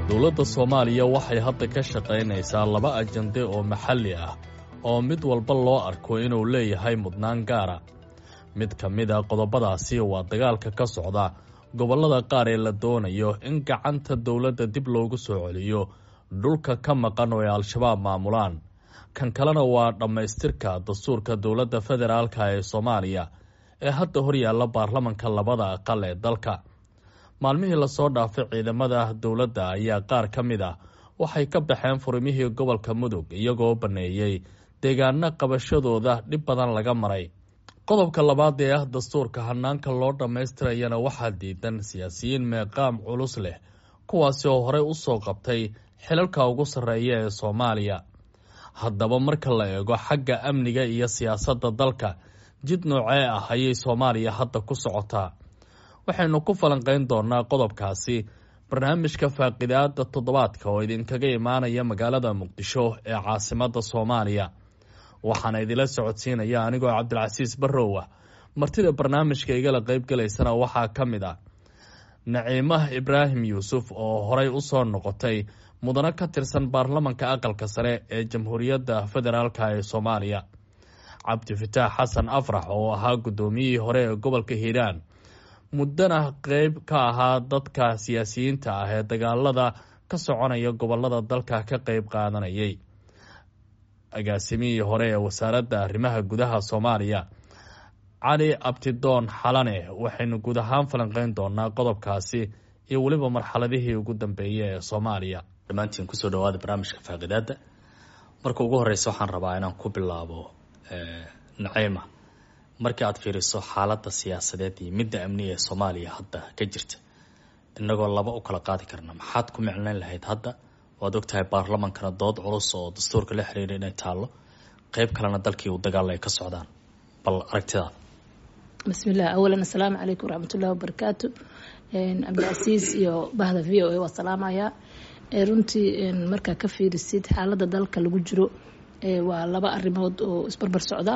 Dowladda Soomaaliya waxay hadda ka shaqaynaysaa laba ajande oo maxalli ah oo mid walba loo arko inuu leeyahay mudnaan gaara. Mid ka mid a qodobadaasi waa dagaalka ka socda gobollada qaar ee la doonayo in gacanta dowladda dib loogu soo celiyo dhulka ka maqan oo ay Al-Shabaab maamulaan. Kan kalena waa dhammaystirka dastuurka dowladda federaalka ee Soomaaliya ee hadda horyaalla baarlamanka labada aqal ee dalka. Maalmihii lasoo dhaafay ciidamada dowladda ayaa qaar ka mid ah waxay ka baxeen furimihii gobolka Mudug, iyagoo baneeyey deegaano qabashadooda dhib badan laga maray. Qodobka labaad ee ah dastuurka hanaanka loo dhammaystirayana waxaa diidan siyaasiyiin meeqaam culus leh, kuwaasi oo horey usoo qabtay xilalka ugu sarreeya ee Soomaaliya. Haddaba marka la eego xagga amniga iyo siyaasadda dalka, jid noocee ah ayay Soomaaliya hadda ku socotaa? Waxaynu ku falanqayn doonaa qodobkaasi barnaamijka faaqidaada toddobaadka oo idinkaga imaanaya magaalada Muqdisho ee caasimadda Soomaaliya. Waxaana idinla socodsiinaya anigoo Cabdilcasiis Barrow ah. Martida barnaamijka igala qeybgalaysana waxaa ka mid ah Naciimah Ibraahim Yuusuf oo horey usoo noqotay mudano ka tirsan baarlamanka aqalka sare ee Jamhuuriyadda Federaalk ee Soomaaliya, Cabdifataax Xasan Afrax oo ahaa guddoomiyihii hore ee gobolka Hiiraan, muddana qeyb ka ahaa dadka siyaasiyiinta ah ee dagaalada ka soconaya gobolada dalka ka qeyb qaadanayay, agaasimihii hore ee wasaaradda arrimaha gudaha Soomaaliya Cali Abtidoon Xalane. Waxaynu guud ahaan falanqeyn doonaa qodobkaasi iyo weliba marxaladihii ugu dambeeyay ee Soomaaliya. Dhammaantiin kusoo dhawaada barnaamijka faaqidaada. Marka ugu horeysa waxaan rabaa inaan ku bilaabo Naciima. Markii aad fiiriso xaaladda siyaasadeed iyo midda amniga ee Soomaaliya hadda ka jirta, innagoo laba u kala qaadi karna, maxaad ku micnayn lahayd hadda? Waad ogtahay baarlamankana dood culus oo dastuurka la xiriira inay taallo, qeyb kalena dalkii uu dagaal ay ka socdaan. Bal aragtidaada. Bismillah, awalan assalaamu calaykum waraxmatullahi wabarakaatu. Cabdicasiis iyo bahda VOA waa salaamayaa. Runtii markaa ka fiirisid xaaladda dalka lagu jiro, waa laba arrimood oo isbarbar socda.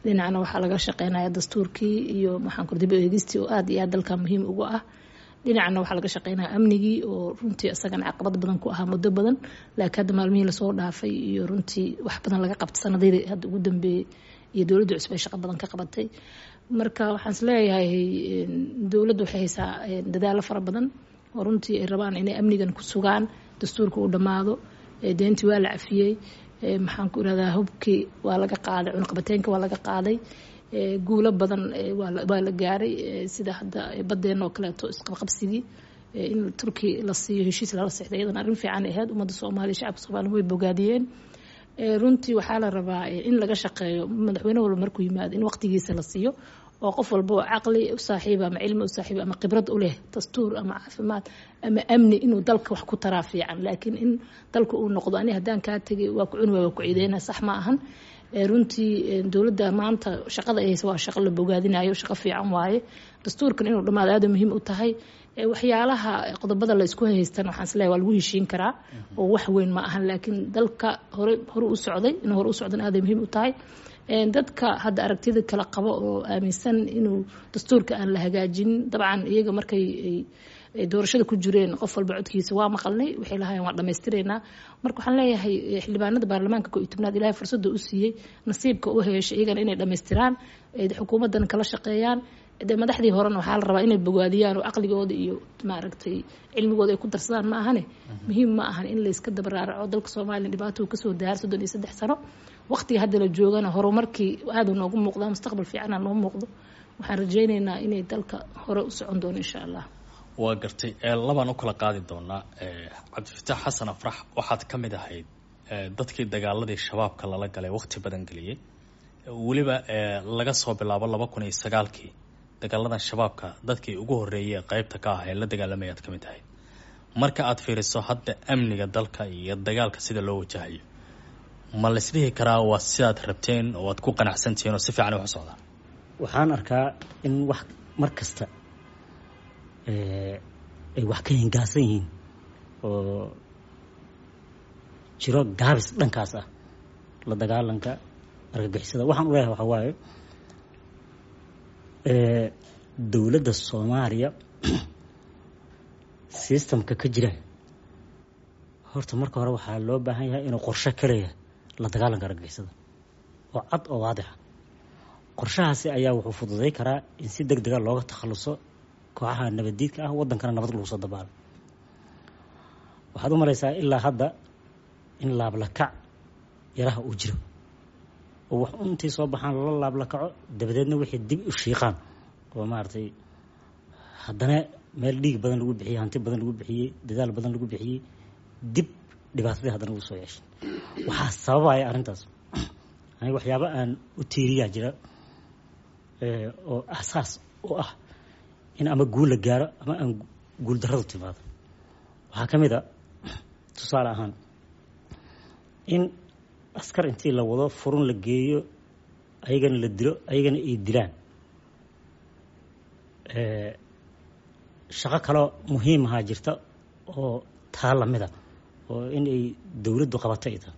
Dhinacna waxaa laga shaqeynaya dastuurkii iyo maxaan kur dib u eegistii oo aada iyo aad dalka muhiim ugu ah. Dhinacna waxaa laga shaqeynaya amnigii oo runtii isagana caqabad badan ku ahaa muddo badan, laakiin hadda maalmihii lasoo dhaafay iyo runtii wax badan laga qabtay sanadihii hadda ugu dambeeyey iyo dowladda cusub ay shaqo badan ka qabatay. Marka waxaan isleeyahay dowladdu waxay haysaa dadaalo fara badan oo runtii ay rabaan inay amnigan ku sugaan, dastuurka uu dhammaado, deentii waa la cafiyey, maxaan ku irahdaa, hubkii waa laga qaaday, cunaqabateenka waa laga qaaday, guulo badan waa la gaaray, sida hadda baddeenna oo kaleeto isqabqabsigii in Turki la siiyo, heshiis lala sexday, iyadana arrin fiican ahayd. Ummadda Soomaaliya, shacabka Soomaaliya way bogaadiyeen. Runtii waxaa la rabaa in laga shaqeeyo madaxweyne walba markuu yimaado in waqtigiisa la siiyo, oo qof walba oo caqli u saaxiiba ama cilmi u saaxiiba ama khibrad u leh dastuur ama caafimaad ama amni inuu dalka wax ku taraa fiican. Laakiin in dalka uu noqdo ani haddaan kaa tegay waa ku cuni, waa ku ciideyna, sax ma ahan. Runtii dowladda maanta shaqada ay haysa waa shaqo la bogaadinayo, shaqo fiican waaye. Dastuurkan inuu dhammaado aada muhiim u tahay. Waxyaalaha qodobada la isku haystan waxaan isleeyahay waa lagu heshiin karaa oo wax weyn ma ahan, laakiin dalka hore u socday inuu hore u socdan aaday muhiim u tahay. Dadka hadda aragtida kala qabo oo aaminsan inuu dastuurka aan la hagaajinin, dabcan iyaga markay doorashada ku jireen qof walba codkiisa waa maqalnay, waxay lahaayeen waan dhammaystiraynaa. Marka waxaan leeyahay xildhibaanada baarlamaanka 11aad Ilaahay fursadda u siiyey, nasiibka u heshay iyagana inay dhammaystiraan, xukuumaddan kala shaqeeyaan. De madaxdii horena waxaa la rabaa inay bogaadiyaan oo caqligooda iyo maaragtay cilmigooda ay ku darsadaan. Ma ahane muhiim ma ahan in layska dabaraaraco. Dalka Soomaaliya dhibaatou kasoo daar 33 sano, waqtiga hadda la joogana horumarkii aada noogu muuqdaa, mustaqbal fiicana noo muuqdo. Waxaan rajeyneynaa inay dalka hore u socon doono insha Allah. Waa gartay, labaan u kala qaadi doonaa. Cabdifataax Xasan Afrax, waxaad ka mid ahayd dadkii dagaaladii Shabaabka lala galay waqti badan geliyey, weliba laga soo bilaabo 2009kii dagaaladan Shabaabka dadkii ugu horreeyay ee qeybta ka ah ee la dagaalamayaad ka mid ahayd. Marka aad fiiriso hadda amniga dalka iyo dagaalka sida loo wajahayo, ma laisdhihi karaa waa sidaad rabteen oo aad ku qanacsantihiin oo si fiican wax u socdaan? Waxaan arkaa in wax mar kasta ay wax ka hingaasan yihiin oo jiro gaabis dhankaas ah la dagaalanka argagixisada. Waxaan u leeyahay waxaa waaye Dowladda Soomaaliya systemka ka jira horta marka hore waxaa loo baahan yahay inuu qorshe ka leeyahay la dagaalanka argagixisada oo cad oo waadixa. Qorshahaasi ayaa wuxuu fududay karaa in si deg dega looga takhaluso kooxaha nabaddiidka ah, waddankana nabad lagu soo dabaalo. Waxaad u malaysaa ilaa hadda in laablakac yaraha uu jiro oo wax intay soo baxaan lala laablakaco, dabadeedna wixii dib u shiiqaan oo maaragtay haddana meel dhiig badan lagu bixiyey, hanti badan lagu bixiyey, dadaal badan lagu bixiyey, dib dhibaatadii haddana ugu soo yeeshay. Waxaa sababaya arrintaas, aniga waxyaaba aan u tiiriyaa jira oo asaas u ah in ama guul la gaaro ama aan guul darradu timaado. Waxaa ka mid a tusaale ahaan in askar intii la wado furun la geeyo, ayagana la dilo, ayagana ay dilaan. Shaqo kaloo muhiim ahaa jirta oo taa lamida oo in ay dowladdu qabato ay tahay.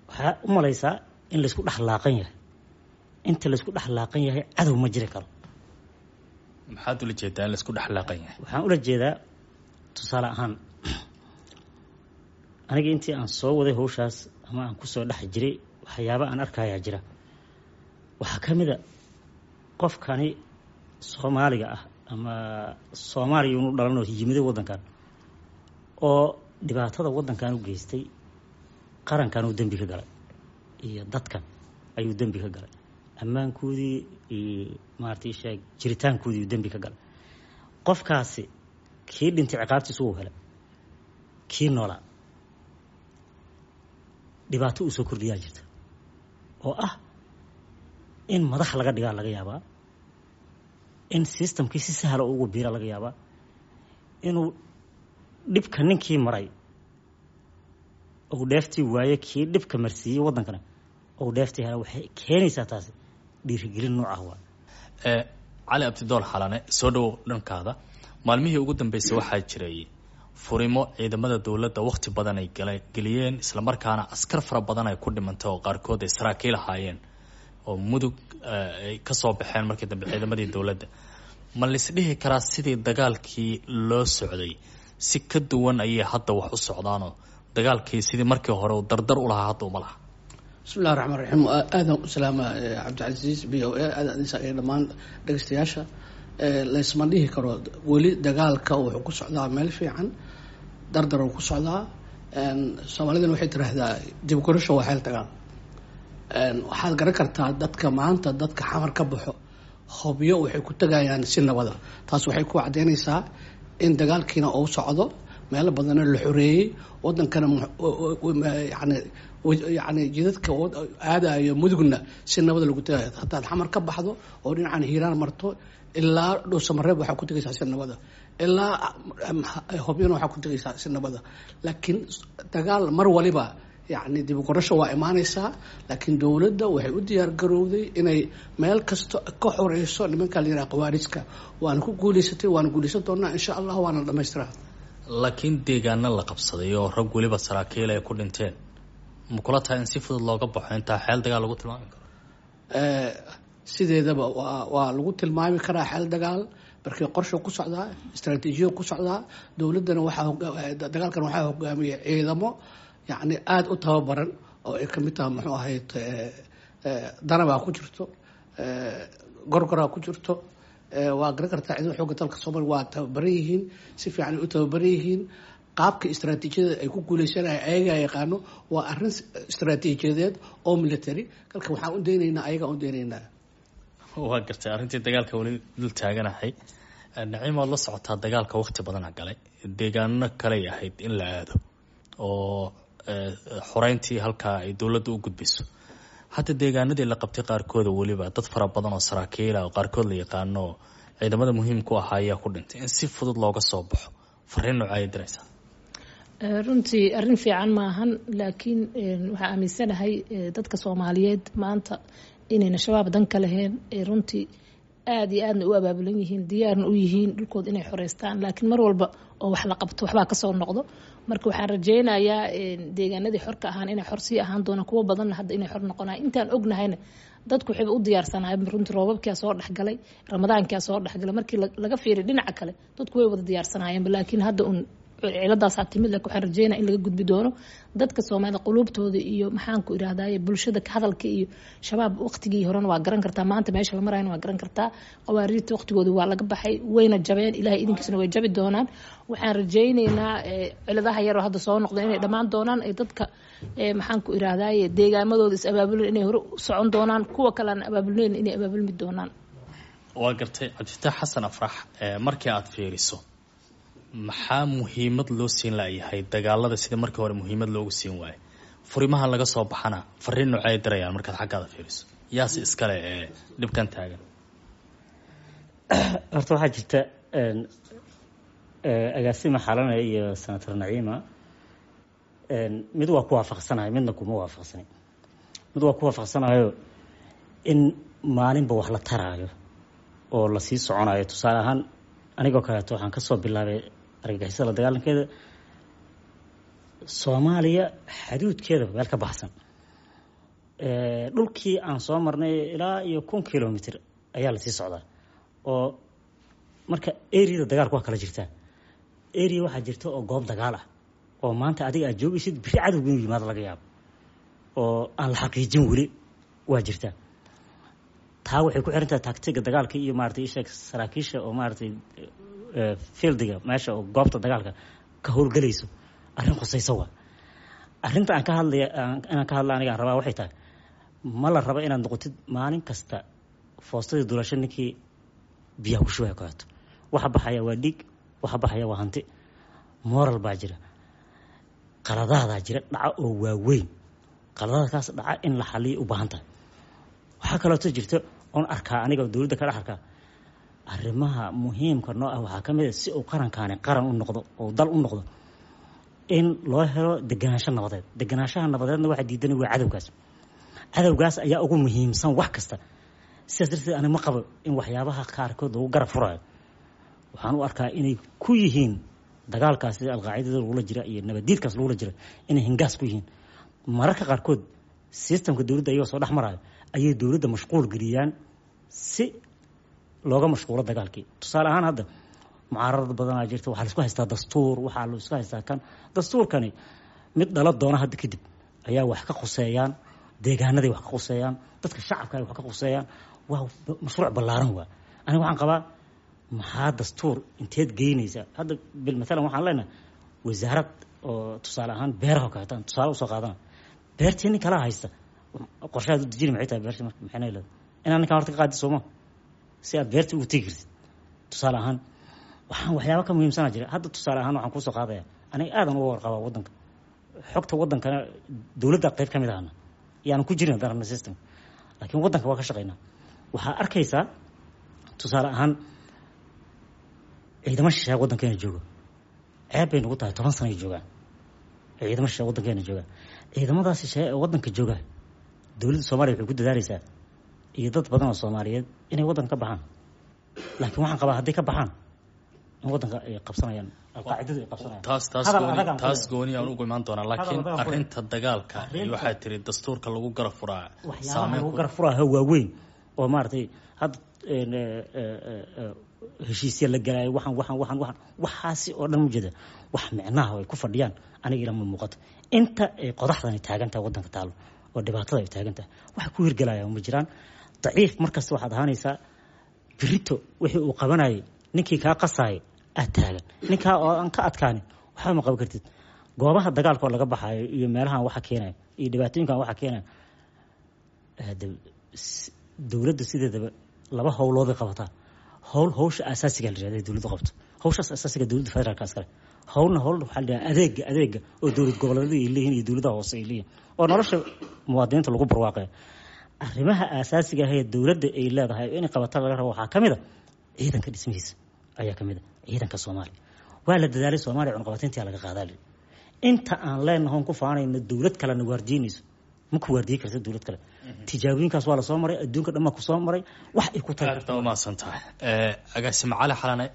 Waxaa u malaysaa in laysku dhex laaqan yahay. Inta laysku dhex laaqan yahay cadow ma jiri karo. Maxaad ula jeedaa in laisku dhex laaqan yahay? Waxaan ula jeedaa tusaale ahaan aniga intii aan soo waday hawshaas ama aan kusoo dhex jiray, waxyaaba aan arkayaa jira. Waxaa ka mid a qofkani Soomaaliga ah ama Soomaaliya unu dhalanoo yimiday waddankan oo dhibaatada waddankan u geystay, qarankan uu dembi ka galay iyo dadkan ayuu dembi ka galay, ammaankoodii iyo maaragtay sheeg jiritaankoodii uu dembi ka galay. Qofkaasi kii dhintay ciqaabtiisu wuu helay, kii noolaa dhibaato uu soo kordhiyaa jirta oo ah in madax laga dhigaa laga yaabaa, in systemkii si sahla ugu biira laga yaabaa, inuu dhibka ninkii maray uu dheeftii waaye, kii dhibka marsiiyey waddankana uu dheeftii hela. Waxay keenaysaa taasi dhiirigelin nooc ah waa. Cali Abdidool Xalane, soo dhowow. Dhankaada, maalmihii ugu dambeysay waxaa jiray furimo ciidamada dowladda wakhti badan ay geliyeen, islamarkaana askar fara badan ay ku dhimantay oo qaarkood ay saraakiil ahaayeen oo Mudug ay ka soo baxeen markii dambe ciidamadii dowladda. Ma laisdhihi karaa sidii dagaalkii loo socday si ka duwan ayay hadda wax u socdaanoo dagaalkii sidii markii hore uu dardar u lahaa hadda uma laha? Bismillahi raxmaan raxiim. Aadaan u salaama Cabdicasiis, VOA, aadaan idin iyo dhammaan dhegeystayaasha. Laysma dhihi karo weli dagaalka wuxuu ku socdaa meel fiican, dardar uu ku socdaa. Soomaalidana waxay tiraahdaa dib gurasho waa xeel dagaal. Waxaad garan kartaa dadka maanta, dadka Xamar ka baxo Hobyo waxay ku tegayaan si nabada. Taas waxay ku caddeynaysaa in dagaalkiina uu socdo, meelo badanna la xoreeyey, wadankana yani jidadka aadayo Mudugna si nabada lagu tegayo. Hataad Xamar ka baxdo oo dhinacan Hiiraan marto ilaa Dhuusamareeb waxaa ku tegaysaa si nabada, ilaa Hobyona waxaa ku tegaysaa si nabada. Laakiin dagaal mar waliba yacni dib u qorasho waa imaanaysaa, laakiin dowladda waxay u diyaar garowday inay meel kasta ka xoreyso nimanka la yidhaha khawaarijka. Waana ku guuleysatay, waana guuleysan doonaa insha Allah, waana la dhamaystiraa. Laakiin deegaano la qabsaday oo rag weliba saraakiil ay ku dhinteen, ma kula tahay in si fudud looga baxo intaa xeel dagaal lagu tilmaami karo? Sideedaba waa lagu tilmaami karaa xeel dagaal markii qorsha ku socdaa, istaraatiijiya ku socdaa. Dowladdana waxaa dagaalkan waxaa hogaamiyay ciidamo yacni aada u tababaran oo ay kamid tahay muxuu ahayd Danabaa ku jirto, Gorgoraa ku jirto. Waa garan kartaa ciidamada xoogga dalka Soomaaliya waa tababaran yihiin, si fiican ay u tababaran yihiin. Qaabka istaraatiijiyada ay ku guuleysanaya ayagaa yaqaano. Waa arrin istaraatiijiyadeed oo military, kalka waxaan u daynaynaa ayagaa u daynaynaa. Waa gartay. Arrintii dagaalka weli dul taaganahay. Naciim, waad la socotaa dagaalka waqti badana galay, deegaano kaley ahayd in la aado oo xoreyntii halkaa ay dowladda u gudbiso. Hadda deegaanadii la qabtay qaarkooda weliba dad fara badan oo saraakiila oo qaarkood la yaqaano ciidamada muhiimku ahaa ayaa ku dhintay. In si fudud looga soo baxo fariin nooca ayay diraysaa? Runtii arrin fiican maahan, laakiin waxaa aaminsanahay dadka Soomaaliyeed maanta inayna Shabaab dan ka lahayn, runtii aada iyo aadna u abaabulan yihiin, diyaarna u yihiin dhulkooda inay xoreystaan. Laakiin mar walba oo wax la qabto waxbaa kasoo noqdo. Marka waxaan rajeynayaa deegaanadii xorka ahaan inay xor sii ahaan doonaan, kuwo badanna hadda inay xor noqonayan. Intaan ognahayna Dadku waxayba u diyaarsanaayeen runtii, roobabkia soo dhexgalay, ramadaankia soo dhexgalay. Markii laga fiiriy dhinaca kale, dadku way wada diyaarsanaayeenba, laakiin hadda un ciladaasaa timid. Laakiin waxaan rajeynaya in laga gudbi doono dadka Soomaalida quluubtooda iyo maxaanku irahdaye bulshada hadalka iyo Shabaab. Waqtigii horena waa garan kartaa, maanta meesha la marayana waa garan kartaa. Qawaariirta waqtigooda waa laga baxay, wayna jabeen, Ilahay idinkiisna way jabi doonaan. Waxaan rajeyneynaa ciladaha yaroo hadda soo noqda inay dhammaan doonaan, ay dadka maxaanku irahdaye deegaamadooda is abaabulan inay hore u socon doonaan, kuwa kale aan abaabulneyn inay abaabulmi doonaan. Waa gartay. Cabdifataax Xasan Afrax, markii aada fiiriso, maxaa muhiimad loo siin layahay dagaalada sida markii hore muhiimad loogu siin waayay? Furimaha laga soo baxana fariin noocay dirayaan markaad xaggaada fiiriso? Yaase iskale ee dhibkan taagan? Horta waxaa jirta, agaasima Xalane iyo Senator Naciima, mid waa ku waafaqsanahay, midna kuma waafaqsanay. Mid waa ku waafaqsanahayo, in maalinba wax la taraayo oo lasii soconayo. Tusaale ahaan, anigoo kaleeto waxaan kasoo bilaabay argagixisada la dagaalankeeda Soomaaliya xaduudkeeda meel ka baxsan. Dhulkii aan soo marnay ilaa iyo 1000 kilomitr ayaa lasii socdaa. Oo marka areada dagaalku waa kala jirtaa. Area waxaa jirta oo goob dagaal ah oo maanta adiga aad joogaysid, biri cadowga inuu yimaado laga yaabo, oo aan la xaqiijin weli, waa jirtaa. Taa waxay ku xiran tahay tactiga dagaalka iyo maaragtay isheeg saraakiisha oo maaragtay fieldiga meesha oo goobta dagaalka ka howlgelayso. Arrin khusayso waa arrinta aan ka hadlaya. Inaan ka hadla aniga aan rabaa waxay tahay, ma la rabo inaad noqotid maalin kasta foostadii dulasho ninkii biyaha ku shubaya kaleeto. Waxa baxaya waa dhiig, waxa baxaya waa hanti, moral baa jira, qaladaadaa jira dhaca oo waaweyn. Qaladaadkaas dhaca in la xaliyo u baahan tahay. Waxaa kaleeto jirta oon arkaa aniga dowladda ka dhex arkaa, arrimaha muhiimka noo ah waxaa ka mid a, si uu qarankaani qaran u noqdo oo dal u noqdo, in loo helo deganaansho nabadeed. Deganaanshaha nabadeedna waxa diidanay waa cadowgaas. Cadowgaas ayaa ugu muhiimsan wax kasta. Sidaas darteed ani ma qabo in waxyaabaha qaarkood lagu garab furayo. Waxaan u arkaa inay ku yihiin dagaalkaas sida Alqaacidada lagula jira iyo nabadiidkaas lagula jira inay hingaas ku yihiin. Mararka qaarkood systemka dowladda ayagoo soo dhex marayo ayay dowladda mashquul geliyaan si looga mashquulo dagaalkii. Tusaale ahaan, hadda mucaararad badanaa jirta. Waxaa laisku haystaa dastuur, waxaa laisku haystaa kan dastuurkani mid dhala doona hadda kadib ayaa wax ka khuseeyaan deegaanaday, wax ka khuseeyaan dadka shacabka ay wax ka khuseeyaan. Waa mashruuc ballaaran. Waa aniga waxaan qabaa, maxaa dastuur inteed geynaysaa hadda? Bil mathalan waxaan leenahay wasaarad oo tusaale ahaan beeraha oo kaleeto tusaale usoo qaadana. Beertii nin kala haysta, qorshahaad u dejini maxay tahay beertii? Marka maxay leedahay inaan ninkaan horta ka qaadi sooma si aad beertii ugu tegi kartid? Tusaale ahaan, waxaan waxyaaba ka muhiimsanaa jira. Hadda tusaale ahaan waxaan kuusoo qaadaya, aniga aadan uga warqabaa waddanka, xogta waddankana dowladda qayb ka mid ahna yaanan ku jirin haddaan rabna system, laakiin waddanka waa ka shaqaynaa. Waxaa arkaysaa tusaale ahaan ciidamo shisheeye waddankeena joogo. Ceeb bay nagu tahay, 10 sano ay joogaan ciidamo shisheeye waddankeena joogaan. Ciidamadaas shisheeye ee waddanka jooga, dowladda Soomaaliya waxay ku dadaaleysaa iyo dad badan oo Soomaaliyeed inay waddanka ka baxaan, laakiin waxaan qabaa hadday ka baxaan in waddanka ay qabsanayaan Alqaacidadu ay qabsanayaan. Taas Hadal gooni adag aan ku taas leeyahay. Gooni aan ugu imaan doonaa, laakiin Hadal adag aan ku arrinta dagaalka iyo waxaa tiri dastuurka lagu garab furaa waxyaabaha saameyn lagu ku garab furaayo waaweyn oo maaragtay hadda heshiisya la galaayo, waxaan waxaan waxaan waxaan waxaasi oo dhan ujeeda wax micnaha ay ku fadhiyaan aniga ilama muuqato. Inta ay qodaxdani taagan tahay waddanka taalo oo dhibaatada ay taagan tahay, waxa ku hirgelaya ma jiraan. Daciif markasta waxaad ahaanaysaa. Birito wixii uu qabanayay ninkii kaa qasaayay aad taagan, ninkaa oo aan ka adkaanin waxba ma qaban kartid. Goobaha dagaalka oo laga baxaayo iyo meelahan waxa keenaya iyo dhibaatooyinkan waxa keenaya, dowladda sideedaba laba howlooday qabataa. Howl howsha asaasiga la yihahda dowladdu qabto, howshaas asaasiga dowladda federaalka iskale. Howlna howl waxaa la yidhahdaa adeega oo dowlad goboleedyada ay leeyihiin iyo dowladaha hoose ay leeyihiin oo nolosha muwaadiniinta lagu barwaaqayo. Arrimaha asaasiga ah ee dowladda ay leedahay inay qabata laga rabo waxaa ka mid a ciidanka dhismihiisa ayaa ka mid a. Ciidanka Soomaaliya waa la dadaalay, Soomaaliya cunqabateyntii laga qaadaa lii. Inta aan leenahoon ku faanayno dowlad kalena waardiinayso, ma ku waardiyi karta dowlad kale. Tijaabooyinkaas waa lasoo maray, adduunka dhan baa kusoo maray wax ay ku tari Aad baa umahadsan tahay, agaasime Cali Xalane.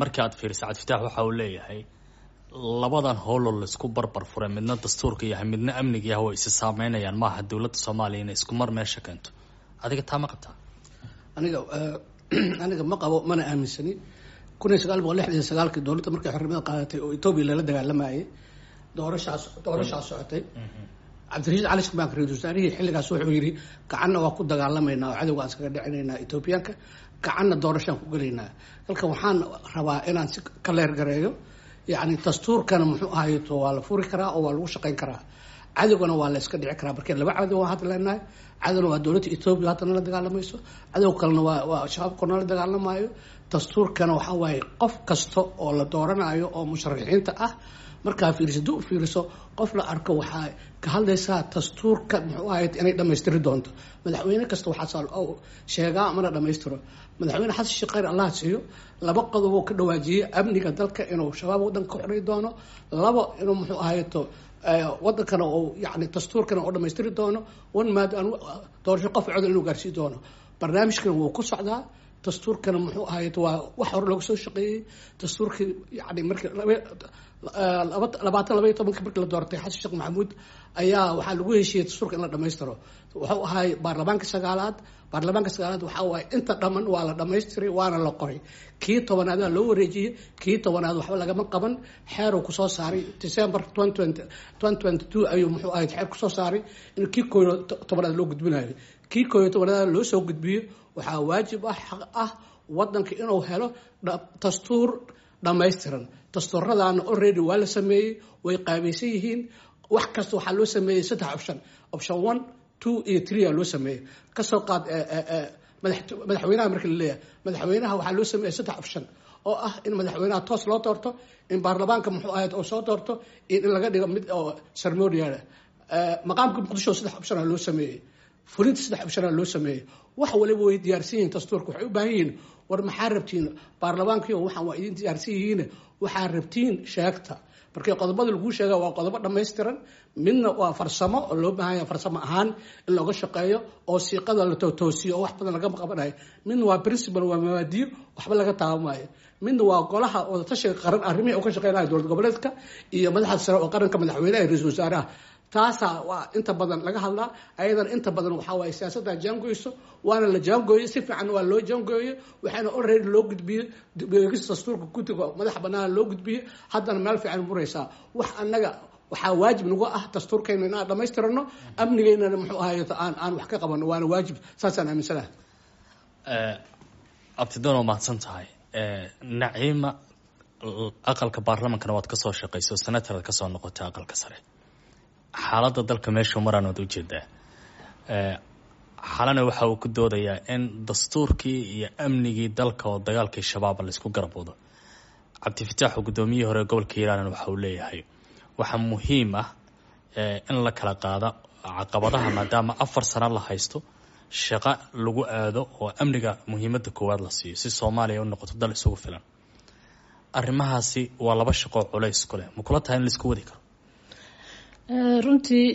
Markii aad fiiriso, Cabdifataax waxa uu leeyahay labadan howloo laisku barbar furay, midna dastuurka yahay, midna amniga yahay, way isi saameynayaan. Maaha dowladda Soomaaliya inay isku mar meesha keento. Adiga taa ma qabtaa? Aniga ma qabo, mana aaminsani. 1969-kii dowladda markay xornimada qaadatay oo Etoobiya lala dagaalamayay, doorashaas socotay. Cabdirashiid Cali Shaqmaanka, ra-isul wasaarihii xilligaas, wuxuu yidhi gacanna waa ku dagaalamaynaa oo cadowga aan iskaga dhicinaynaa Etoobiyaanka, gacanna doorashaan ku gelaynaa. Halkan waxaan rabaa inaan si ka leer gareeyo, yacni dastuurkana muxuu ahayto waa la furi karaa oo waa lagu shaqayn karaa, cadowgana waa la iska dhici karaa. Markii laba cadow waan hadda leenahay, cadowna waa dowladda Etoobiya haddana la dagaalamayso, cadow kalena waa shabaabka nala dagaalamayo. Dastuurkana waxaa waaye qof kasta oo la dooranayo oo musharaxiinta ah markaa fiiriso, dib u fiiriso, qof la arko waxaa ka hadlaysaa dastuurka muxuu ahayd inay dhammaystiri doonto. Madaxweyne kasta waxaa sheegaa mana dhammaystiro. Madaxweyne Xasan Sheekh, khayr Allah siiyo, laba qodob uu ka dhawaajiyey: amniga dalka inuu shabaab waddanka ka xorey doono, labo inuu muxuu ahayto wadankana uu yani dastuurkana uu dhammaystiri doono, one maad doorasho qof codol inuu gaarsii doono. Barnaamijkana wuu ku socdaa. Dastuurkana muxuu ahayd waa wax hore looga soo shaqeeyey. Dastuurkii yani markii 2012-kii markii la doortay Xasan Sheekh Maxamuud ayaa waxaa lagu heshiiyey dastuurka in la dhammaystiro. Wuxuu ahay baarlamaanka sagaalaad. Baarlamaanka sagaalaad waxaa waaye inta dhamman waa la dhamaystiray waana la qoray. Kii tobanaad loo wareejiyey, kii tobanaad waxba lagama qaban. Xeeruu kusoo saaray December 2022 ayuu muxuu ahayd xeer kusoo saaray in kii 11aad loo gudbinayo. Kii 11aad loo soo gudbiyo, waxaa waajib ah, xaq ah, wadanka inuu helo dastuur dhammaystiran. Dastuuradaana already waa la sameeyey, way qaabaysan yihiin. Wax kasta waxaa loo sameeyey saddex option: option one, two iyo three aa loo sameeyey. Kasoo qaad madaxweynaha marka la leeyahay, madaxweynaha waxaa loo sameeyey saddex option oo ah in madaxweynaha toos loo doorto, in baarlamaanka muxuu ahayd oo soo doorto, iyo in laga dhigo mid oo ceremonial. Maqaamka Muqdisho saddex option aa loo sameeyey, fulinta saddex option aa loo sameeyey. Wax waliba way diyaarsan yihiin. Dastuurka waxay u baahan yihiin, war maxaa rabtiin baarlamaankiio, waxaan waa idin diyaarsan yihiin, waxaa rabtiin sheegta. Markii qodobada laguu sheega waa qodobo dhammaystiran. Midna waa farsamo oo loo baahan yahay farsamo ahaan in looga shaqeeyo oo siiqada la toosiyo oo wax badan laga qabanayo. Midna waa principle, waa mabaadiyo, waxba laga taabamayo. Midna waa golaha wadatashiga qaran arrimihii uu ka shaqeynaya dowlad goboleedka iyo madaxda sare oo qaranka, madaxweynaha iyo ra-iisul wasaaraha. Taasaa waa inta badan laga hadlaa. Ayadana inta badan waxaa waaye siyaasadda jaangoyso, waana la jaangooyey, si fiican waa loo jaangooyey, waxaana already loo gudbiyey dib-u-eegista dastuurka guddiga madaxa bannaan loo gudbiyey, haddana meel fiican muraysaa. Wax annaga waxaa waajib nagu ah dastuurkayna inaan dhammaystirano, amnigeynana muxuu ahaay aan wax ka qabano, waana waajib, saasaan aaminsanaha. Abtidoon, waa mahadsan tahay. Naciima, aqalka baarlamankana waad kasoo shaqayso, senataraad kasoo noqotay aqalka sare. Xaaladda dalka meeshuu maraan waad ujeedaa. Xalana waxa uu ku doodayaa in dastuurkii iyo amnigii dalka oo dagaalkii shabaaba laisku garab wado. Cabdifataax oo guddoomiyihii hore gobolka Hiiraan waxa uu leeyahay waxaa muhiim ah in la kala qaado caqabadaha, maadaama 4 sano la haysto, shaqo lagu aado oo amniga muhiimadda koowaad la siiyo si Soomaaliya u noqoto dal isugu filan. Arrimahaasi waa laba shaqoo culays ku leh, ma kula tahay in laisku wadi karo? Runtii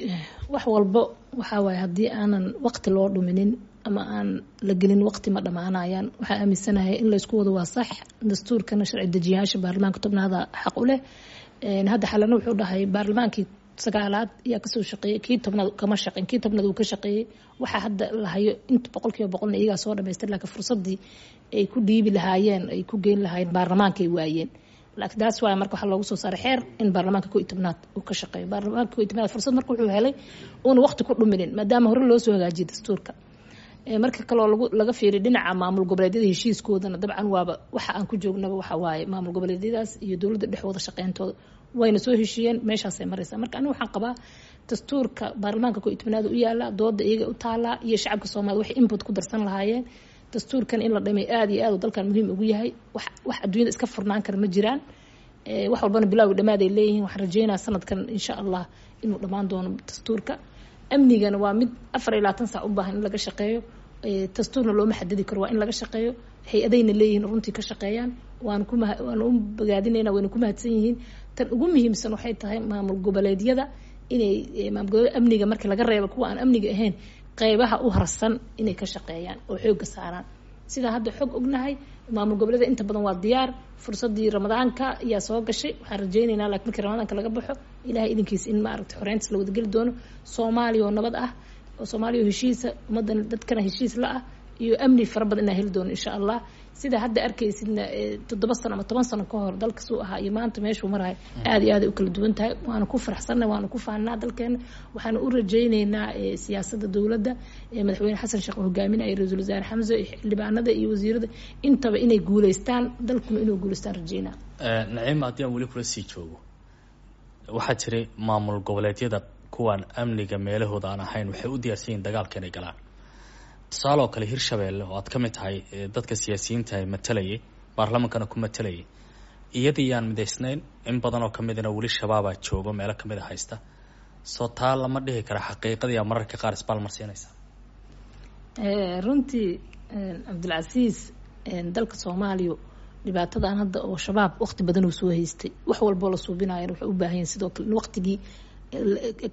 wax walbo waxaa waaye haddii aanan waqti loo dhuminin ama aan la gelin waqti, ma dhammaanayaan. Waxaa aaminsanahay in laysku wado waa sax. Dastuurkana sharci dejiyayaasha baarlamaanka tobnaada xaq u leh. Hadda Xalana wuxuu dhahay baarlamaankii sagaalaad ayaa kasoo shaqeeyey, kii tobnaad kama shaqeyn. Kii tobnaad uu ka shaqeeyey. Waxaa hadda la hayo inta 100%na iyagaa soo dhamaystir, laakiin fursadii ay ku dhiibi lahaayeen, ay ku geyn lahaayeen baarlamaanka ay waayeen. Laakiin taas waay marka waxaa loogu soo saaray xeer in baarlamaanka 11aad uu ka shaqeeyo. Baarlamaanka 11aad fursad marka wuxuu helay uuna waqti ku dhuminin, maadaama hore loo soo hagaajiyay dastuurka. Marka kaloo lagu laga fiiriyo dhinaca maamul goboleedyada heshiiskoodana, dabcan waaba waxa aan ku joognaba waxa waaye maamul goboleedyadaas iyo dowladda dhexwada shaqeyntooda, wayna soo heshiiyeen, meeshaasay maraysaa. Marka aniga waxaan qabaa dastuurka baarlamaanka 11aad u yaala, dooda iyaga u taalaa iyo shacabka Soomaalida waxay input ku darsan lahaayeen. Dastuurkan in la dhamay aada iyo aad uu dalkan muhiim ugu yahay. Wax adduunyada iska furnaan kara ma jiraan, wax walbana bilowga dhammaad ay leeyihiin. Waxaan rajeynaya sanadkan insha Allah inuu dhammaan doono dastuurka. Amnigana waa mid 24 saac u baahan in laga shaqeeyo. Dastuurna looma xadidi karo, waa in laga shaqeeyo. Hay-adayna leeyihiin runtii ka shaqeeyaan, waan kuma waan u bogaadinayna, wayna ku mahadsan yihiin. Tan ugu muhiimsan waxay tahay maamul goboleedyada inay maamul goboleed amniga marka laga reebo kuwa aan amniga ahayn, qeybaha u harsan inay ka shaqeeyaan oo xoogga saaraan. Sidaa hadda xog ognahay, maamul goboleeda inta badan waa diyaar. Fursadii Ramadaanka ayaa soo gashay. Waxaan rajeyneynaa laakiin markii Ramadaanka laga baxo, Ilahay idinkiis, in maaragtay xoreyntas la wadageli doono, Soomaaliya oo nabad ah. Oo Soomaaliya heshiisa, ummaddan dadkana heshiis la ah iyo amni fara badan inaan heli doono, insha Allah. Sida hadda arkaysidna, 7 sano ama 10 sano ka hor dalka suu ahaa iyo maanta meeshuu marahay aada iyo aad ay u kala duwan tahay. Waana ku faraxsannahay, waana ku faannaa dalkeena. Waxaana u rajayneynaa siyaasadda dowladda, Madaxweyne Xasan Sheekh hogaaminaya, Ra-iisul Wasaare Xamse iyo xildhibaanada iyo wasiirada intaba inay guuleystaan, dalkuna inuu guuleystaan rajaynaa. Naciima, haddii aan weli kula sii joogo, waxaa jiray maamul goboleedyada kuwaan amniga meelahooda aan ahayn waxay u diyaarsan yihiin dagaalka inay galaan. Tusaale oo kale, Hirshabeelle oo aad ka mid tahay dadka siyaasiyiinta ay matalayay, baarlamankana ku matalayay, iyadii yaan midaysnayn, in badan oo kamidana weli shabaabaa joogo, meelo kamid a haysta. Soo taa lama dhihi kara xaqiiqadii aa mararka qaar isbaalmarsiinaysa? Runtii, Cabdilcasiis, dalka Soomaaliya dhibaatadan hadda oo Shabaab waqti badan uu soo haystay, wax walboo la suubinayan waxay u baahan yihin sidoo kale in waqtigii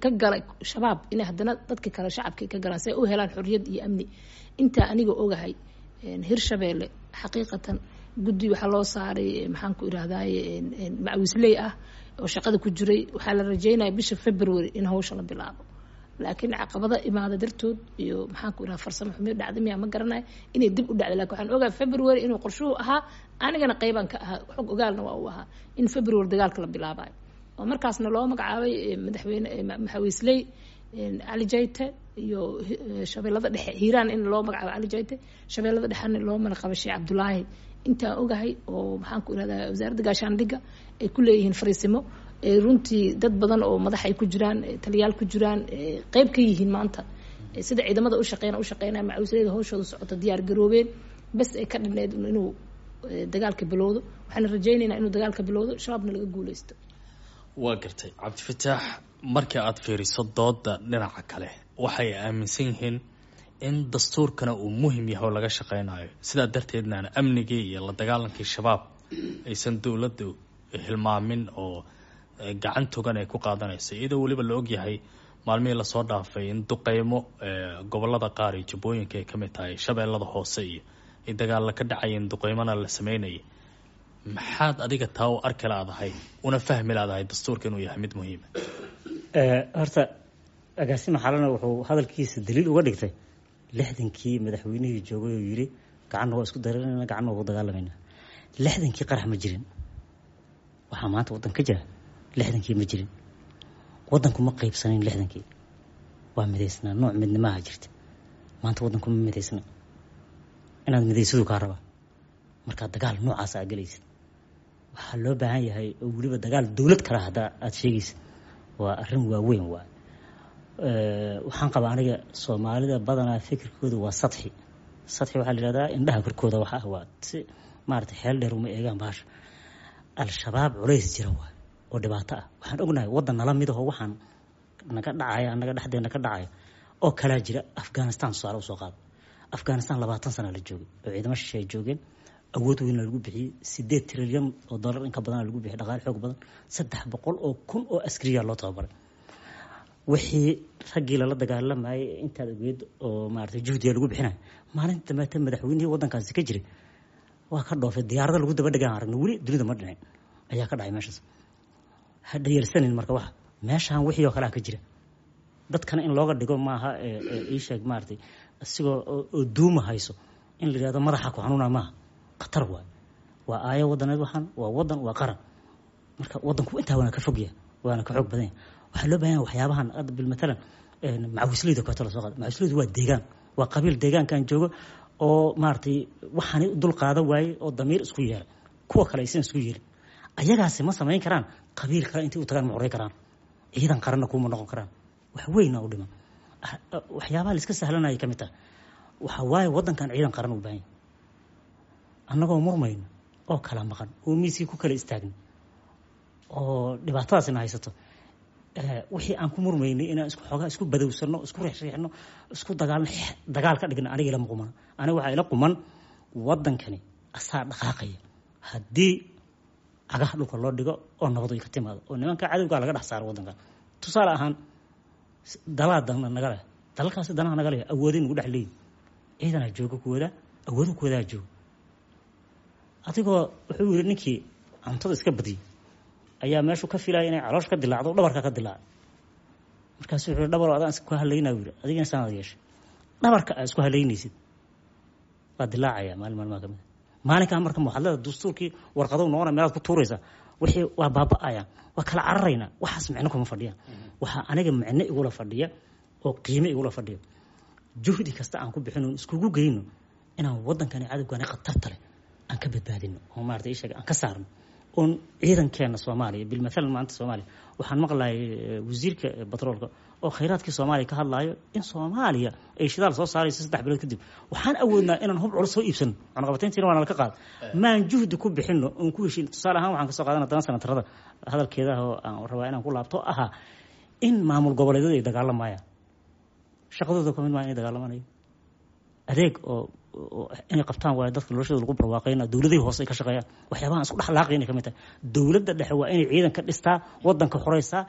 ka galay Shabaab inay haddana dadka kale shacabka ka galaan si ay u helaan xorriyad iyo amni. Intaa aniga ogahay, Hirshabeelle xaqiiqatan guddi waxaa loo saaray, maxaan ku irahdaye, macawisley ah oo shaqada ku jiray. Waxaa la rajeynaya bisha February in hawsha la bilaabo, laakiin caqabado imaada dartood iyo, maxaan ku iraha, farsamo xumiyo dhacda miyaa, ma garanayo, inay dib u dhacday. Lakin waxaan ogahay February inuu qorshuhu ahaa, anigana qeybaan ka ahaa, xog ogaalna waa uu ahaa in February dagaalka la bilaabayo, oo markaasna loo magacaabay madaxweyne maxawiisley Cali Jayte iyo Shabeellada Dhexe, Hiiraan in loo magacaabo Cali Jayte, Shabeellada Dhexena loo magacaabo Sheekh Cabdulaahi. Intaan ogahay oo, maxaan ku irahdaa, wasaaradda gaashaandhigga ay ku leeyihiin fariisimo, runtii dad badan oo madax ay ku jiraan, taliyaal ku jiraan, qeyb ka yihiin maanta sida ciidamada u shaqeyn u shaqeynaya, macawisleyda hawshooda socota, diyaar garoobeen, bes ay ka dhinayd inuu dagaalka bilowdo. Waxaana rajaynaynaa inuu dagaalka bilowdo, Shabaabna laga guuleysto. Waa gartay. Cabdifataax, markii aada fiiriso dooda dhinaca kale, waxay aaminsan yihiin in dastuurkana uu muhim yahay oo laga shaqeynayo, sidaa darteedna aan amnigii iyo la dagaalankii Shabaab aysan dowladdu hilmaamin oo gacan togan ay ku qaadanayso, iyadoo weliba la ogyahay maalmihii lasoo dhaafay in duqeymo gobolada qaar iyo jubbooyinka ay kamid tahay, Shabeellada Hoose iyo ay dagaalla ka dhacayeen, duqeymona la sameynayay. Maxaad adiga taa u arki laadahay una fahmi laadahay dastuurka inuu yahay mid muhiima? Horta agaasima xalana wuxuu hadalkiisa daliil uga dhigtay 60-kii madaxweynihii joogay oo yiri gacanna waa isku daranayna, gacanna waa ku dagaalamayna. 60-kii qarax ma jirin. Waxaa maanta waddan ka jira 60-kii ma jirin. Waddanku ma qaybsanayn 60-kii, waa midaysnaa, nooc midnimaha jirta. Maanta waddanku ma midaysna. Inaad midaysadu kaa rabaa. Markaa dagaal noocaas aa gelaysid, waxaa loo baahan yahay, oo weliba dagaal dowlad kale haddaa aada sheegaysid, waa arrin waaweyn. Waa waxaan qabaa aniga, Soomaalida badanaa fikirkooda waa sadxi. Sadxi waxaa la yihahdaa indhaha korkooda waxa ah, waa si maarata xeel dheer uma eegaan bahasha. Al-Shabaab culays jira waay oo dhibaato ah. Waxaan ognahay waddan nala mid aho waxaan naga dhacaya, annaga dhexdeena ka dhacaya oo kalaa jira. Afghanistan tusaale usoo qaado. Afghanistan 20 sana la joogay oo ciidamo shishe ay joogeen, awood weyn lagu bixiyey, 8 trilyan oo dollar in ka badana lagu bixiyey, dhaqaale xoog badan, 300,000 oo askariya loo tababaray. Wixii raggii lala dagaalamayay intaad ogeed oo maarata juhdiga lagu bixinayo, maalinta dambeeta madaxweynihii waddankaasi ka jiray waa ka dhoofay, diyaarada lagu daba dhegaan aragna, weli dunida ma dhicin ayaa ka dhacay meeshaas. Ha dhayalsanin. Marka waxa meeshaan wixii oo kalea ka jira dadkana in looga dhigo maaha. Ii sheeg, maaratay, isigoo oo duuma hayso in la yihahdo madaxa ku xanuuna maaha, khatar waay. Waa aayo wadaneed waxaan, waa wadan, waa qaran. Marka wadanku intaa waana ka fogyahay, waana ka xoog badan yahay. Waxaa loo baahan yahay waxyaabahan hadda bilmatalan macawisleyda kooto lasoo qaada. Macawisleydu waa deegaan, waa qabiil deegaankan joogo oo maaragtay waxaanay u dul qaada waayey oo damiir isku yeelay, kuwa kale aysan isku yeelin. Ayagaasi ma samayn karaan, qabiil kale intay u tagaan ma xoray karaan, ciidan qaranna kuma noqon karaan. Wax weyna u dhiman, waxyaabaha la iska sahlanaya ka mid tahay. Waxa waaye waddankan ciidan qaran u baahan yahay. Annagoo murmayno oo kala maqan oo miiskii ku kala istaagna oo dhibaatadaasina haysato, wixii aan ku murmaynay inaan isku xoogaa isku badowsano, isku riixriixno, isku dagaalno, dagaal ka dhigna, aniga ilama qumana. Aniga waxaa ila quman waddankani asaa dhaqaaqaya haddii cagaha dhulka loo dhigo oo nabad ay ka timaado oo nimanka cadowgaa laga dhex saaro waddankan. Tusaale ahaan, dalaa dana naga leh, dalalkaasi danaha naga leh, awooday nagu dhex leeyihin, ciidanaa jooga kuwada, awoodo kuwadaa jooga. Adigoo wuxuu yiri ninkii cuntada iska badiyey ayaa meeshu ka filaya inay caloosh ka dilaacdo, dhabarka ka dilaacay. Markaasuu wuxuu dhabar adaan isku halaynaa yiri, adigana saan aad yeeshay, dhabarka aad isku halaynaysid waa dilaacaya maalin maalmaha kamid maalinkaa. Marka waxaad leedahay dastuurkii warqadow noqona meelaad ku tuuraysaa, wixii waa baaba'ayaan, waa kala cararaynaa. Waxaas micno kuma fadhiyaan. Waxaa aniga micno igula fadhiya oo qiime igula fadhiyo juhdi kasta aan ku bixino iskugu geyno inaan waddankani cadowgani khatarta leh aan ka badbaadino oo maarata ii sheeg aan ka saarno oon ciidankeena Soomaaliya. Bilmathalan maanta Soomaaliya waxaan maqlayay wasiirka batroolka oo khayraadkii Soomaaliya ka hadlaayo in Soomaaliya ay shidaal soo saarayso 3 bilood kadib. Waxaan awoodnaa inaan hub culus soo iibsano, cunaqabatayntiina waana laka qaad, maan juhdi ku bixino oon ku heshin. Tusaale ahaan waxaan kasoo qaadana dana sanatarada hadalkeeda oo aan rabaa inaan ku laabto ahaa in maamul goboleedyadu ay dagaalamayaan, shaqadooda kamid maa inay dagaalamanayo, adeeg oo inay qabtaan waayo dadka noloshooda lagu barwaaqeyna, dowladihii hoose ay ka shaqeeyaan, waxyaabahan isku dhexlaaqay inay kamid tahay. Dowladda dhexe waa inay ciidan ka dhistaa, waddanka xoreysaa,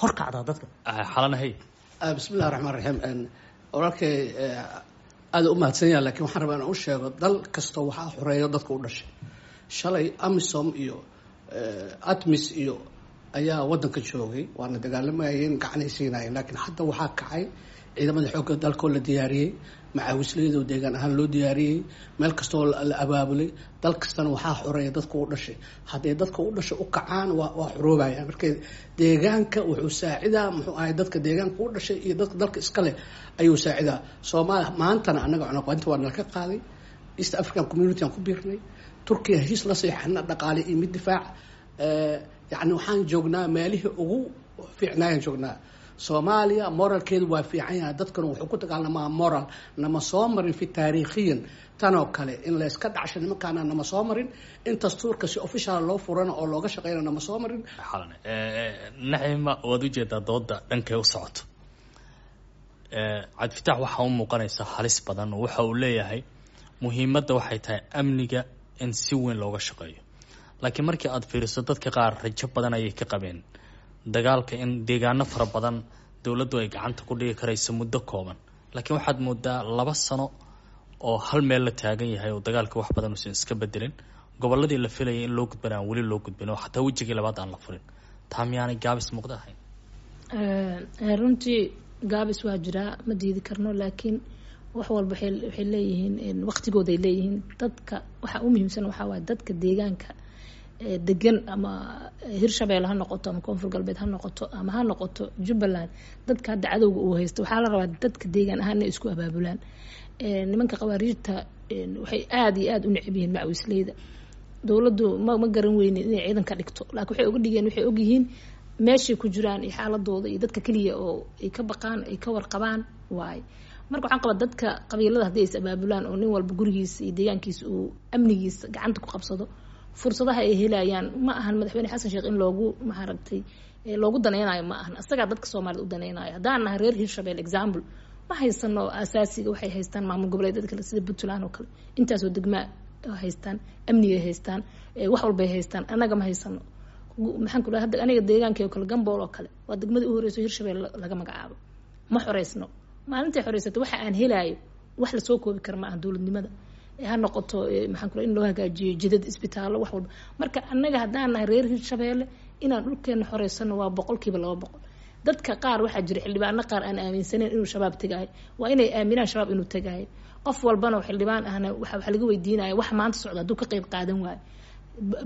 horkacdaa dadka. Xalanahay. Bismillahi raxmaan raxiim. Walaalkay aada u mahadsan yaha, lakiin waxaan rabaa inaan u sheego dal kastoo waxaa xoreeyo dadka u dhashay. Shalay AMISOM iyo ATMIS iyo ayaa waddanka joogay, waana dagaalamayeen, gacanay siinayeen, laakiin hadda waxaa kacay ciidamada xoogga dalkoo la diyaariyey, macaawisleyadoo deegaan ahaan loo diyaariyey, meel kastoo la abaabulay. Dal kastana waxaa xoreeya dadka u dhashay. Hadday dadka u dhashay u kacaan waa xoroobayaan. Marka deegaanka wuxuu saacidaa, muxuu ahay, dadka deegaanka u dhashay iyo dadka dalka iskale ayuu saacidaa. Soomaaliya maantana annaga cunaqabatinta waa nala ka qaaday, East African Community aan ku biirnay, Turkiya heshiis la seexana dhaqaale iyo mid difaac. Yacni waxaan joognaa meelihii ugu fiicnaayaan joognaa. Soomaaliya moralkeedu waa fiican yahay, dadkuna wuxuu ku dagaalamaa moral. Nama soo marin fi taariikhiyan tanoo kale in layska dhacsho nimankaana, nama soo marin in dastuurka si official loo furana oo looga shaqeyna, nama soo marin. Xalane Naciima, waad ujeedaa dooda dhankay u socoto. Cabdifitaax waxaa u muuqanaysa halis badan oo waxa uu leeyahay muhiimadda waxay tahay amniga in si weyn looga shaqeeyo, laakiin markii aada fiiriso dadka qaar rajo badan ayay ka qabeen dagaalka in deegaano fara badan dowladdu ay gacanta ku dhigi karayso muddo kooban, laakiin waxaad moodaa 2 sano oo hal meel la taagan yahay oo dagaalka wax badan uusan iska bedelin, gobolladii la filayay in loo gudbana aan weli loo gudbin oo xataa wejigii labaad aan la furin. Taa miyaanay gaabis muuqda ahayn? Runtii gaabis waa jiraa, ma diidi karno, laakiin wax walba waxay leeyihiin waqtigooday leeyihiin. Dadka waxaa u muhiimsan waxaa waaye dadka deegaanka degan, ama Hirshabeelle ha noqoto ama Koonfur Galbeed ha noqoto ama ha noqoto Jubbaland, dadka hadda cadowga uu haysto waxaa la rabaa dadka deegaan ahaan inay isku abaabulaan. Nimanka khawaariijta waxay aada iyo aada u necab yihiin macawisleyda. Dowladdu ma garan weynin inay ciidan ka dhigto, laakiin waxay uga dhigeen waxay ogyihiin meeshay ku jiraan iyo xaaladooda iyo dadka keliya oo ay ka baqaan ay ka warqabaan waaye. Marka waxaan qabaa dadka qabiilada hadday is abaabulaan oo nin walba gurigiisa iyo deegaankiisa uu amnigiisa gacanta ku qabsado, fursadaha ay helayaan ma ahan madaxweyne Xasan Sheekh in loogu maaragtay loogu daneynayo, ma ahan isagaa dadka Soomaalida u daneynayo. Haddaan nahay reer Hirshabelle example, ma haysano asaasiga waxay haystaan maamul goboleedyada kale sida Puntland oo kale, intaasoo degmaa haystaan, amnigay haystaan, wax walbay haystaan, annaga ma haysano. Maxaan ku dhahay, hadda aniga deegaankay oo kale, Gambool oo kale, waa degmadii u horeyso Hirshabelle laga magacaabo, ma xoreysno. Maalintay xoreysatay waxa aan helaayo wax lasoo koobi kara ma aha. Dowladnimada ha noqoto, maxaan ku in loo hagaajiyo jidad, isbitaallo, wax walba. Marka annaga haddaan nahay reer Hirshabeelle inaan dhulkeena xoreysano waa 100%. Dadka qaar waxaa jira xildhibaano qaar aan aaminsaneyn inuu Shabaab tegaayo, waa inay aaminaan Shabaab inuu tegaayo. Qof walbana oo xildhibaan ahna waxa laga weydiinaya wax maanta socda hadduu ka qayb qaadan waayo.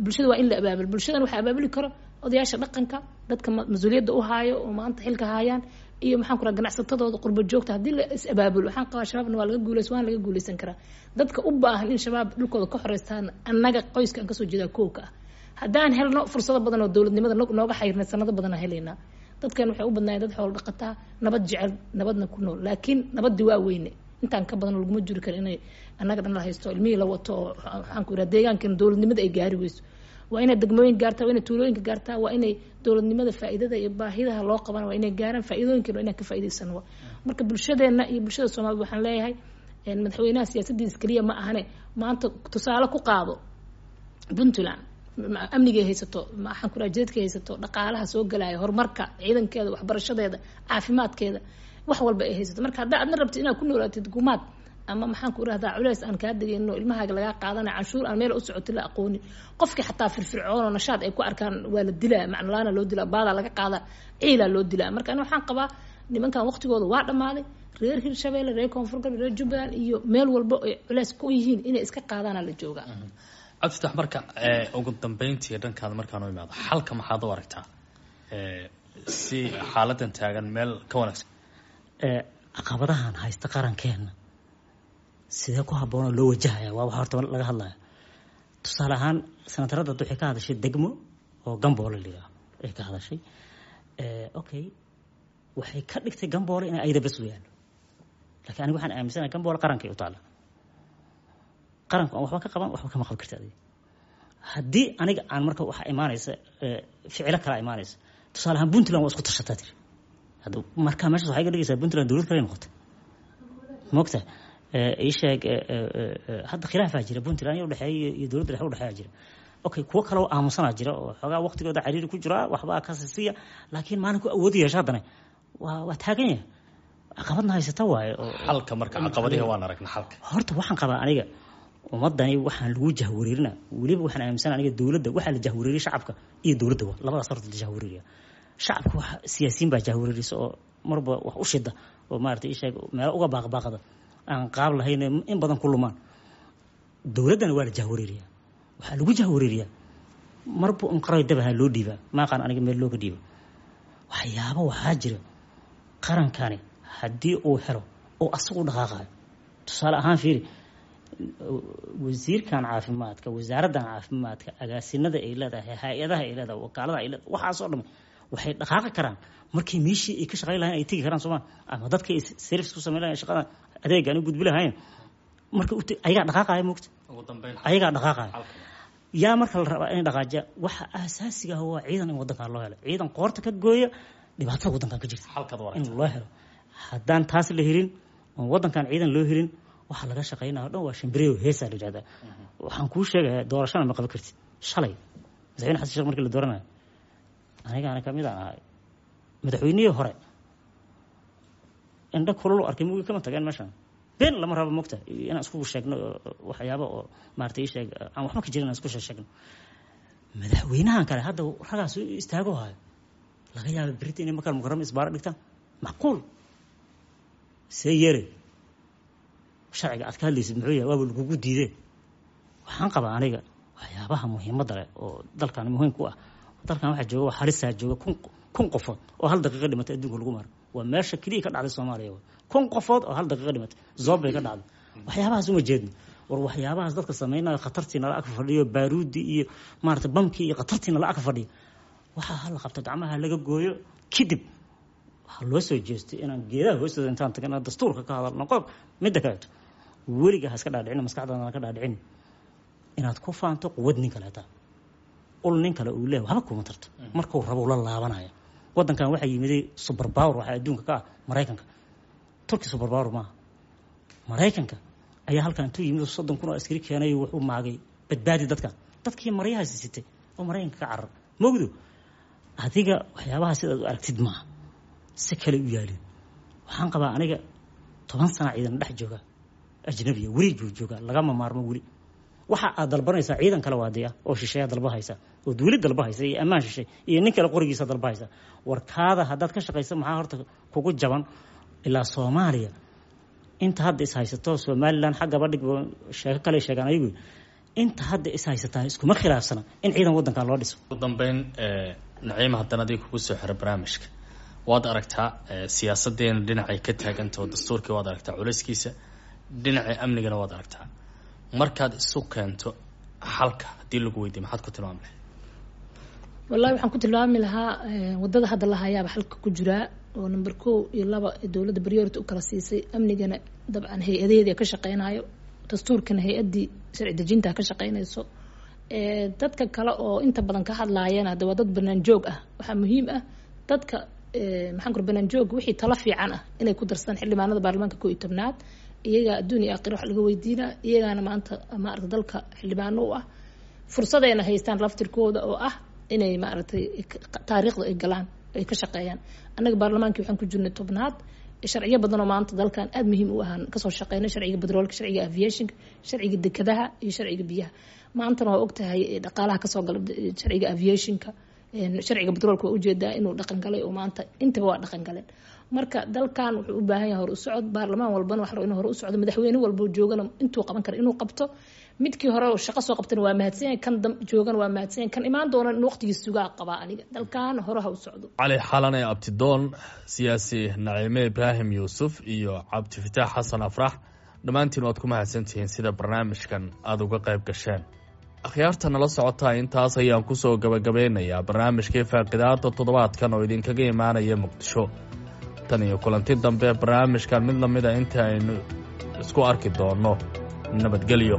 Bulshada waa in la abaabul, bulshadan waxaa abaabuli karo odayaasha dhaqanka, dadka mas-uuliyadda u haayo oo maanta xilka haayaan, iyo maxaan ku raha ganacsatadooda qurba joogta. Haddii la is abaabulo waxaan qabaa Shabaabna waa laga guuleysan, waana laga guuleysan karaa. Dadka u baahan in Shabaab dhulkooda ka xoreystaan annaga qoyska aan kasoo jeedaa kowka ah. Haddaan helno fursado badan oo dowladnimada nooga xayrnay sanado badan aan helaynaa. Dadkan waxay u badnaayeen dad xoolo dhaqataa, nabad jecel, nabadna ku nool, laakiin nabadii waa weyne, intaan ka badan laguma jiri karo inay annaga dhan la haysto, ilmihii la wato oo waxaan ku yidhaha deegaankan dowladnimada ay gaari weyso. Waa inay degmooyin gaartaa, waa inay tuulooyinka gaartaa, waa inay dowladnimada faa'iidada iyo baahidaha loo qabana waa inay gaaraan, faa'iidooyinkan waa inaan ka faa'iidaysano. Marka bulshadeenna iyo bulshada Soomaalida waxaan leeyahay madaxweynaha siyaasadiisa keliya ma ahane, maanta tusaale ku qaado Puntland, amnigay haysato, maxaan ku dhaha jidadkay haysato, dhaqaalaha soo galaya, horumarka ciidankeeda, waxbarashadeeda, caafimaadkeeda, wax walba ay haysato. Marka haddaa adna rabtid inaad ku noolaatid gumaad ama maxaan ku irahdaa culeys aan kaa degayno, ilmahaaga lagaa qaadanayo, canshuur aan meel u socotay la aqoonin, qofkii xataa firfircoon oo nashaad ay ku arkaan waa la dilaa, macnolaana loo dilaa, baadaa laga qaadaa, ciilaa loo dilaa. Marka ani waxaan qabaa Nimankan waqtigooda waa dhammaaday. Reer Hirshabeelle, reer Koonfur Galbeed, reer Jubbaland iyo meel walba ay culeys ku yihiin inay iska qaadaana la joogaa. Cabdifatax, marka ugu dambeyntii dhankaada markaan u imaado, xalka maxaad u aragtaa si xaaladan taagan meel ka wanaagsan? Caqabadahan haysta qarankeena sidee ku habboonoo loo wajahaya waa waxa horta laga hadlaya. Tusaale ahaan, senatarada hadda waxay ka hadashay degmo oo Gamboole la yidhaaho ay ka hadashay. Okay, waxay ka dhigtay Gamboole inay ayada bes u yaallo, lakiin aniga waxaan aaminsanahay Gamboole qarankay u taalla. Qaranku aan waxba ka qaban, waxba kama qaban karta adiga. Haddii aniga aan marka waxaa imaanaysa ficilo kalaa imaanaysa. Tusaale ahaan, Puntland waa isku tashataa tiri. Hadda marka meeshaas waxay ka dhigaysaa Puntland dowlad kale noqotay, moogta? Ii sheeg, hadda khilaafaa jira Puntland iyo udhexeeya iyo dowladda dhexe udhexeeya jira. Okay, kuwo kale oo aamusanaa jira oo xoogaa waqtigooda cariiri ku jiraa, waxbaa ka sisiya, laakiin maalinku awood yeesha haddana waa taagan yahay. Caqabadna haysata waaye. Xalka marka, caqabadihi waan aragna, xalka? Horta waxaan qabaa aniga ummadani waxaan lagu jahwareerina, weliba waxaan aaminsana aniga dowladda waxaa la jahwareeriya shacabka iyo dowladda, waa labadaas horta la jahwareeriya. Shacabka wax siyaasiyiin baa jahwareerisa oo marba wax u shida oo maarata isheeg meelo uga baaqbaaqda aan qaab lahayn in badan ku lumaan. Dowladdana waa la jahwareeriya, waxaa lagu jahwareeriyaa marba un qaroy dabaha loo dhiibaa, maaqaan aniga meel looga dhiibo. Waxyaabo waxaa jira qarankani haddii uu helo oo asagu dhaqaaqayo. Tusaale ahaan, fiiri, wasiirkan caafimaadka, wasaaraddan caafimaadka, agaasinada ay leedahay, hay-adaha ay leedahay, wakaalada ay leedahay, waxaasoo dham waxay dhaqaaqi karaan markii meeshii ay ka shaqayn lahayn ay tegi karaan, sooma? Ama dadkii ay service ku samayn lahayn, shaqada adeega aan u gudbi lahayn, marka ayagaa dhaqaaqaya, moogta? Ayagaa dhaqaaqaya. Yaa marka la rabaa inay dhaqaajiya? Waxa aasaasiga ah waa ciidan in waddankan loo helo, ciidan qoorta ka gooya dhibaatada waddankan ka jirta in loo helo. Haddaan taas la helin oon waddankan ciidan loo helin, waxaa laga shaqeynaya o dhan waa shimbireyo heesaa la yidhahdaa. Waxaan kuu sheegayaa, doorashana ma qaban kartid. Shalay Madaxweyne Xasan Sheekh markii la dooranayo, anigaana kamid aan ahay, madaxweynihii hore indho kululu arkay mugi kama tageen meeshan. Been lama rabo, mogta, inaan isku sheegno waxyaaba oo maarata ii sheeg aan waxba ka jirin inaan isku sheegno. Madaxweynahan kale hadda ragaas istaago hayo, laga yaaba berita inay Makal Mukarama isbaaro dhigtaan, macquul. See yeere sharciga aad ka hadlaysid muxuu yahay? Waaba lagugu diidee. Waxaan qabaa aniga waxyaabaha muhiimadda leh oo dalkan muhiim ku ah, dalkan waxaa jooga waa halisaa jooga 1000 qofood oo hal daqiiqa dhimatay adduunka lagu maro. Waa meesha keliya ka dhacday Soomaaliya, 1000 qofood oo hal daqiiqa dhimatay zoobbay ka dhacday. Waxyaabahaas uma jeedno. War waxyaabahaas dadka samaynayo, khatartii nala ag fadhiyo, baaruudi iyo maarata bamkii iyo khatartii nala ag fadhiyo, waxaa hala qabta, gacmaha laga gooyo. Kadib waxaa loo soo jeestay inaan geedaha hoostooda intaan tagna dastuurka ka hadalno. Qodob midda kaleeto, weliga ha iska dhaadhicin, maskaxdaada ka dhaadhicin inaad ku faanto quwad nin kaleeta. Ul nin kale uu leeyahay waxba kuma tarto, markuu rabo ula laabanaya. Waddankan waxaa yimiday super power, waxaa adduunka ka ah Maraykanka. Turki super power maaha. Maraykanka ayaa halkan intuu yimid 30,000 oo askari keenay, wuxuu maagay badbaadi dadkan, dadkii maryahaasi sitay oo Maraykanka ka carar mogdo. Adiga waxyaabaha sidaad u aragtid maaha, si kale u yaalin. Waxaan qabaa aniga 10 sana ciidan dhex jooga ajnabiya weli buu joogaa, lagama maarmo. Weli waxa aad dalbanaysaa ciidan kale waadiya oo shisheeya dalba haysa oo duuli dalba haysa iyo ammaan shishay iyo nin kale qorigiisa dalba haysa. Warkaada haddaad ka shaqaysa, maxaa horta kugu jaban? Ilaa Soomaaliya inta hadda is haysato, Somaliland xaggaba dhig, sheeko kale sheegaan ayagu, inta hadda is haysataa iskuma khilaafsana in ciidan waddankan loo dhiso. Ugu dambeyn, Naciima, haddana adiga kugu soo xiro barnaamijka. Waad aragtaa siyaasadeena dhinacay ka taagantaho, dastuurkii waad aragtaa culayskiisa, dhinaca amnigana waad aragtaa. Markaad isu keento xalka haddii lagu weydiiyo, maxaad ku tilmaami lahayd? Wallahi waxaan ku tilmaami lahaa wadada hadda la hayaaba xalka ku jiraa, oo number 1 iyo 2 dowladda priority u kala siisay. Amnigana dabcan hay-adaheedi ka shaqeynayo, dastuurkana hay-addii sharci dejinta ka shaqeynayso. Dadka kale oo inta badan ka hadlaayana hadda waa dad banaan joog ah. Waxaa muhiim ah dadka, maxaan kur, banaan joog wixii talo fiican ah inay ku darsadaan xildhibaanada baarlamaanka 11aad. Iyagaa adduun iyo aakhira wax laga weydiinaa, iyagaana maanta maarata dalka xildhibaano u ah, fursadayna haystaan laftirkooda oo ah inay maaragtay taariikhda ay galaan, ay ka shaqeeyaan. Annaga baarlamaankii waxaan ku jirnay 10aad, sharciyo badan oo maanta dalkan aada muhiim u ahaan kasoo shaqeynay: sharciga batroolka, sharciga aviationka, sharciga dekadaha iyo sharciga biyaha. Maantana waa ogtahay dhaqaalaha kasoo gala sharciga aviationka, sharciga batroolka waa ujeedaa inuu dhaqan galay oo maanta intaba waa dhaqan galeen. Marka dalkan wuxuu u baahan yahay hor u socod. Baarlamaan walbana waxa inuu hore u socdo, madaxweyne walbo joogana intuu qaban kara inuu qabto. Midkii hore oo shaqo soo qabtana waa mahadsan yahay, kan joogana waa mahadsan yahay, kan imaan doona in waqtigiis sugaa qabaa. Aniga dalkan hore ha u socdo. Cali Xalane Abtidoon, siyaasi Naciime Ibraahim Yuusuf iyo Cabdifataax Xasan Afrax, dhammaantiin waad ku mahadsantihiin sida barnaamijkan aada uga qayb gasheen. Akhyaarta nala socotaa, intaas ayaan kusoo gabagabeynayaa barnaamijkii faaqidaada toddobaadkan oo idinkaga imaanaya Muqdisho. Tan iyo kulanti dambe barnaamijkan mid lamida inta aynu isku arki doonno, nabadgelyo.